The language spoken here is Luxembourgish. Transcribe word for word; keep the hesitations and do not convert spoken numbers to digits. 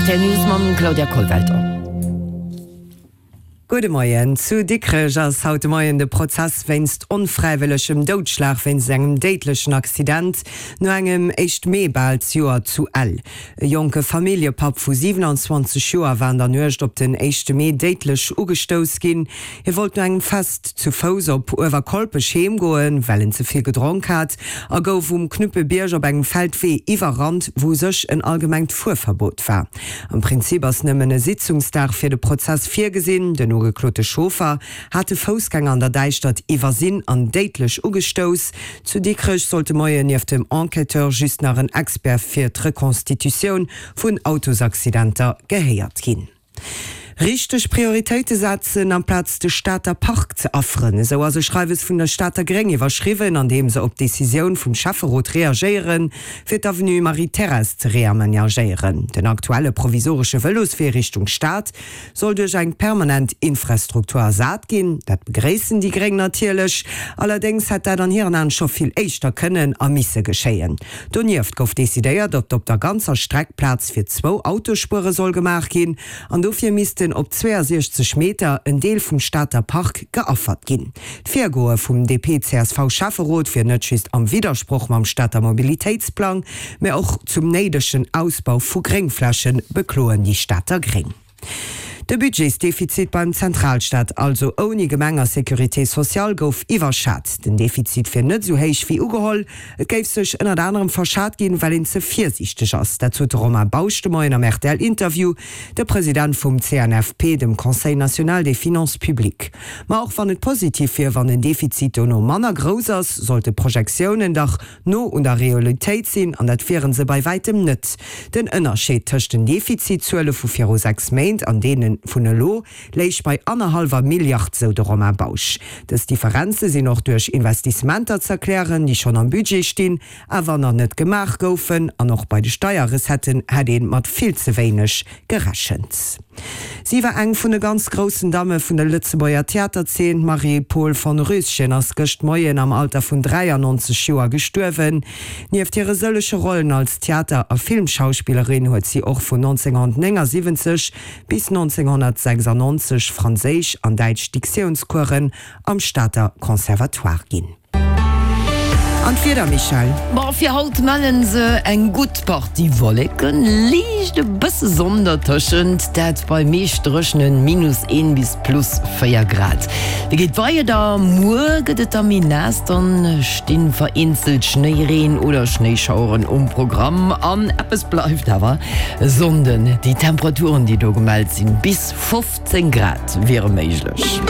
Rtl News mam Claudia Kollwelter. Gudde Moien. Zu Dikrech ass haut de Moien de Prozess wéinst onfräiwëllegem Doudschlag wéinst engem déidlechen Accident no engem éischt Mee bal zejoert zu Ell. E jonke Familljepapp vu siwenanzwanzeg Joer war an der Nuecht op den éischte Mee déidlech ugestouss ginn. Hie wollt no engem Fest zu Fouss op Uewerkolpech heem goen, well en ze vill gedronk hat a gouf um Knüppebierg op engem Feldwee iwwerrannt, wou u sech en allgemengt Fuerverbot war. Am Prinzip ass nëmmen e Sitzungsdag fir de Prozess virgesinn. Den ugeklote Chauffer hat de Foussgänger an der Däischtert iwwersinn an déidlech ugestouss. Zu Dikrech sollt de Moien nieft dem Enquêteur just nach en Expert fir d'Reconstitutioun vun Autosaccidenter gehéiert ginn. Richteg Prioritéite setzen, amplaz de Stater Park ze afferen, esou ass e Schreiwes vun der Stater Gréng iwwerschriwwen, an deem se op d'Decisioun vum Schäfferot reagéieren, fir d'Avenue Marie-Thérèse ze reamenagéieren. Den aktuelle provisoresche Vëloswee Richtung Stad soll duerch eng permanent Infrastruktur ersat ginn. Dat begréissen déi Gréng natierlech, allerdéngs hätt dat an hiren Aen scho vill éischter kënnen a misse geschéien. Donieft gouf decidéiert, datt op der ganzer Streck Plaz fir zwou Autospuere soll gemaach ginn an dofir missten op zweeënsiechzeg Meter en Deel vum Stater Park geaffert ginn. D'Virgoe vum D P C S V-Schäfferot wier net just am Widdersproch mam Stater Mobilitéitsplang, mä och zum néidegen Ausbau vu Gréngflächen, bekloen déi Stater Gréng. De Budgetsdefizit beim Zentralstaat, also ouni Gemeng a Sécurité sociale, gouf iwwerschat. Den Defizit wier net esou héich wéi ugeholl. Et géif sech ënnert anerem verschat ginn, well een ze virsiichteg ass. Dat sot de Romain Bausch de Moien am R T L-Interview, de President vum C N F P, dem Conseil national des finances publiques. Ma och wann et positiv wier, wann den Defizit dono manner grouss ass, sollte Projektiounen dach no un der Realitéit sinn, an dat wiere se bei wäitem net. Den Ënnerscheed tëscht den Defizitzuele vu viru sechs Méint an deene vun elo léich bei annerhallwer Milliard, sou de Romain Bausch. Dës Differenze sinn och duerch Investissementer z'erklären, déi schonn am Budget stinn, awer nach net gemaach goufen, an och bei de Steierrecetten hätt ee mat vill ze wéineg gerechent. Si war eng vun de ganz groussen Damme vun der Lëtzebuerger Theaterzeen. D'Marie-Paule von Röschen ass gëscht Moien am Alter vun dräiannonzeg Joer gestuerwen. Nieft hire sëllege Rollen als Theater a Filmschauspillerin huet si och vun nonzénghonnertnéngasiwwenzeg bis nonzénghonnertsechsannonzeg franséisch an däitsch Diktiounscoursen am Stater Conservatoire ginn. An d'Wieder, Michèle? Bon, fir haut mellen se eng gutt Partie Wolleken, liicht e bësse Sonn dertëschent, dat bei meescht dréchenen minus een bis plus véier Grad. Wéi geet weider? Muer gëtt et da méi naass, dann stinn vereenzelt Schnéireen oder Schnéischaueren um Programm. An eppes bleift awer, e Sonnden, déi Temperaturen déi do gemellt sinn, bis fofzéng Grad wiere méiglech.